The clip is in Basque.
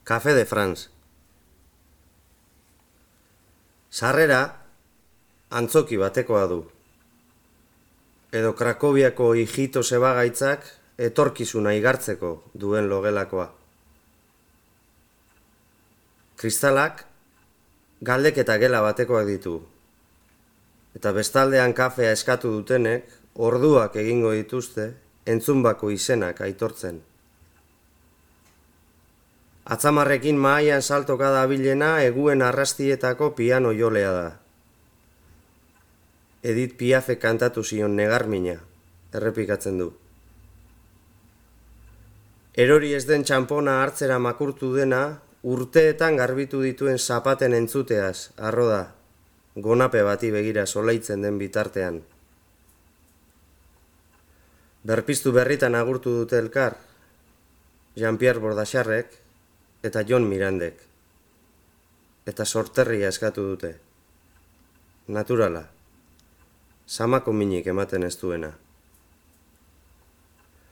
Café de France. Sarrera antzoki batekoa du. Edo Krakoviako hijito sebagaitzak etorkizuna igartzeko duen logelakoa. Kristalak galdeketa gela batekoak ditu. Eta bestaldean kafea eskatu dutenek orduak egingo dituzte entzunbako izenak aitortzen. Atzamarrekin mahaian saltoka dabilena eguen arrastietako piano jolea da. Edith Piafek kantatu zion negarmina, errepikatzen du. Erori ez den txanpona hartzera makurtu dena, urteetan garbitu dituen zapaten entzuteaz, arro da, gonape bati begira solaitzen den bitartean. Berpiztu berritan agurtu dute elkar, Jean-Pierre Bordacharrek eta Jon Mirandek. Eta sorterria eskatu dute. Naturala, samako minik ematen ez duena.